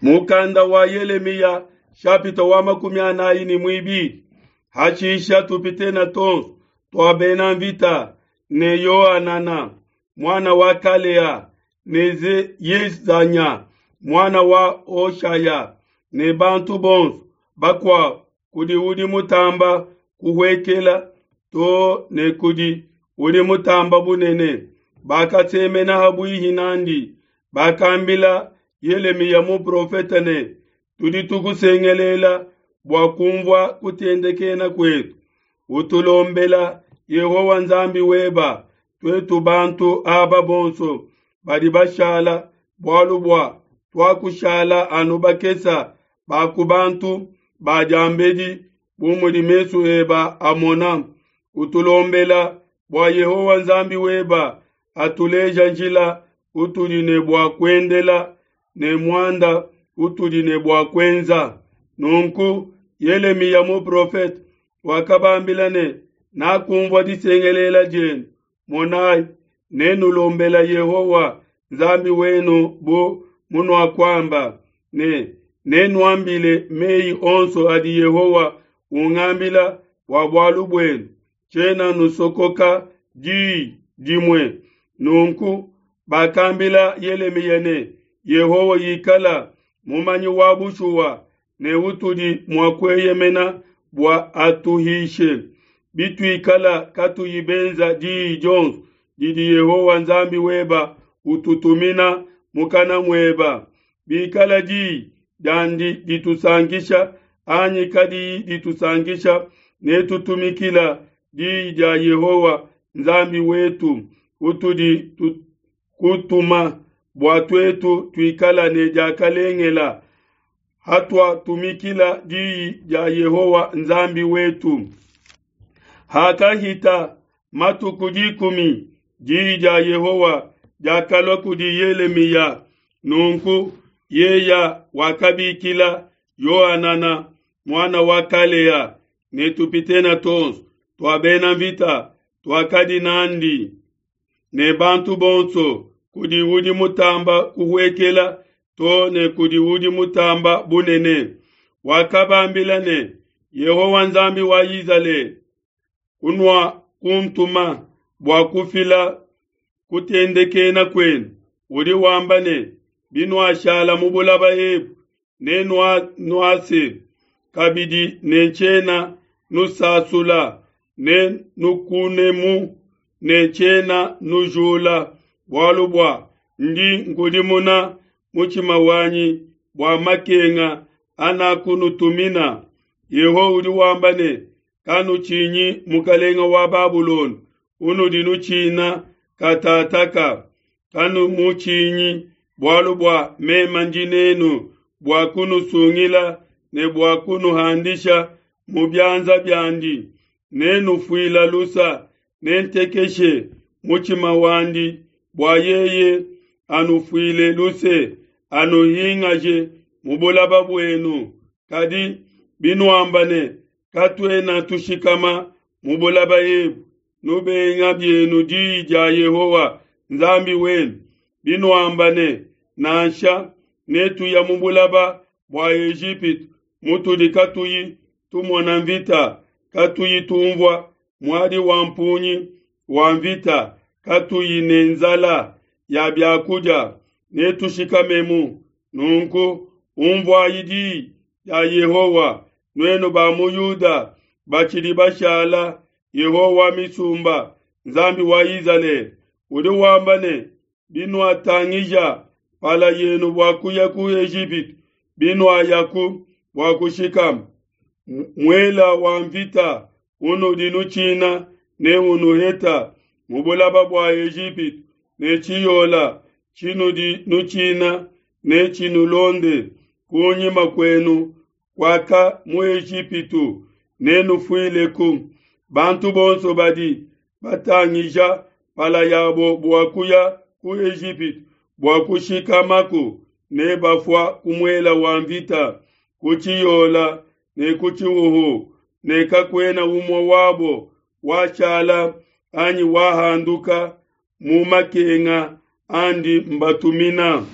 Mukanda wa Yelemiya shapita wa 42. Hashisha tupitena tonso tua bena mvita ne Yohanana muana wa Kalea ne Yezanya muana wa Hoshaya ne bantu bonso bakuabu kudi udi mutamba kuhuekela to ne kudi udi mutamba bunene, bakasemena ha buihi nandi, bakambila Yelemiya muprofete ne, tudi tukusengelela bua kumvua kutendekena kuetu, utulombela Yehowa Nzambi weba, tuetu bantu aba bonso badi bashala, bualu bua tuakushala anu bakesa ba ku bantu ba diambedi, bu mudi mesu eba amona. Utulombela bua Yehowa Nzambi weba atuleja njila utudi ne bua kuendela ne muanda utudi ne bua kuenza. Nunku Yelemiya muprofete wakabambila ne, nakumvua disengelela dienu, monai, nenulombela Yehowa Nzambi wenu bu munuakuamba ne nenuambile meyi onso adi Yehowa ungambila bua bualu buenu, tshiena nusokoka diyi dimue. Nunku bakambila Yelemiya ne, Yehowa ikala mumanyi wa bushuwa ne utudi mua kueyemena bua atuhishe, bituikala katuyi benza diyi dionso didi Yehowa Nzambi weba ututumina mukana mueba. Bikala diyi diandi ditusankisha anyi kadiyi ditusankisha, netutumikila diyi dia Yehowa Nzambi wetu utudi kutuma bua tuetu tuikala ne diakalengela hatuatumikila diyi dia Yehowa Nzambi wetu. Hakahita matuku 10, diyi dia Yehowa diakalua kudi Yelemiya. Nunku yeya wakabikila Yohanana muana wa Kalea ne tupitena tonso tua bena mvita tuakadi nandi ne bantu bonso kudi udi mutamba kuhuekela to ne kudi udi mutamba bunene. Wakabambila ne, Yehowa Nzambi wa Izalele kunua kuntuma bua kufila kutendekena kuenu, udi wamba ne, binuashala mu bulaba ebu nenuase kabidi ne tshiena nusasula, ne nukunemu ne tshiena nujula, bualu bua ndi nkudimuna mutshima wanyi bua makenga anakunutumina. Yehowa udi wamba ne, kanutshinyi mukalenga wa Babulona unudi nutshina katataka, kanumutshinyi, bualu bua mema ndi nenu bua kunusungila ne bua kunuhandisha mu bianza biandi. Nenufuila lusa, nentekeshe mutshima wandi bua yeye anufuile luse, anuhingaje mu bulaba buenu. Kadi binuamba ne, katuena tushikama mu bulaba ebu, nubenga bienu diyi dia Yehowa Nzambi wenu. Binuamba ne, nansha netuya mu bulaba bua Ejipitu mutudi katuyi tumona mvita, katuyi tumvua muadi wa mpungi wa mvita, katuyi ne nzala ya biakudia, netushikamemu. Nunku umvuayi diyi dia Yehowa, nuenu ba mu Yuda batshidi bashala. Yehowa wa misumba, Nzambi wa Izalele, udi wamba ne, binuatangija pala yenu bua kuya ku Ejipitu, binuayaku bua kushikama, muela wa mvita unudi nutshina ne unuheta mu bulaba bua Ejipitu, ne tshiyola tshinudi nutshina ne tshinulonde kunyima kuenu kuaka mu Ejipitu, nenufuileku. Bantu bonso badi batangija pala yabo bua kuya ku Ejipitu bua kushikamako ne bafua ku muela wa mvita, ku tshiyola ne ku tshihuhu, ne kakuena umue wabo washala anyi wahanduka mu makenga andi mbatumina.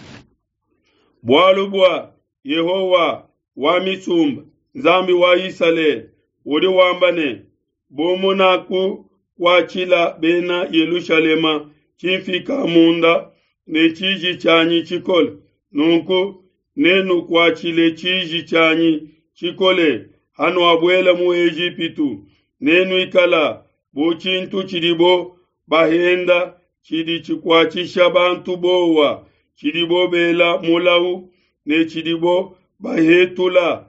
Bualu bua Yehowa wa misumba, Nzambi wa Isalele, udi wamba ne, Bu munakukuatshila bena Yelushalema tshimfika munda ne tshiji tshianyi tshikole, nunku nenukuatshile tshiji tshianyi tshikole hanuabuela mu Ejipitu, nenuikala bu tshintu tshidibo bahenda tshidi tshikuatshisha bantu bowa, tshidibo bela mulau ne tshidibo bahetula.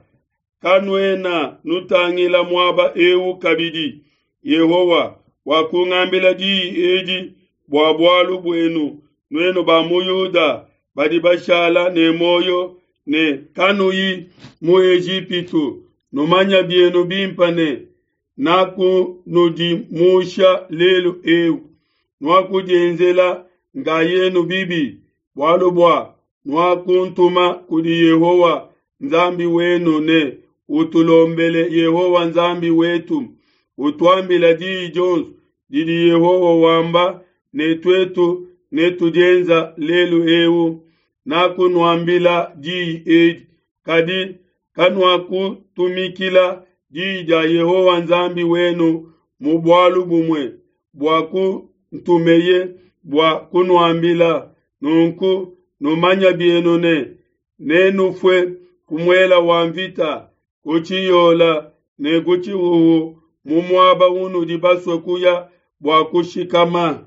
Kanuena nutangila muaba eu kabidi. Yehowa wakungambila diyi edi bua bualu buenu, nuenu ba mu Yuda badi bashala ne muoyo ne kanuyi mu Ejipitu, numanya bienu bimpe ne, nakunudimusha lelu eu. Nuakudienzela nkayenu bibi, bualu bua nuakuntuma kudi Yehowa Nzambi wenu ne, Utulombele Yehowa Nzambi wetu, utuambila diyi dionso didi Yehowa wamba, ne tuetu netudienza lelu eu. Nakunuambila diyi edi, kadi kanuakutumikila diyi dia Yehowa Nzambi wenu mu bualu bumue buakuntumeye bua kunuambila. Nunku numanya bienu ne, nenufue ku muela wa mvita, ku tshiyola ne ku tshihuhu mu muaba unudi basue kuya bua kushikama.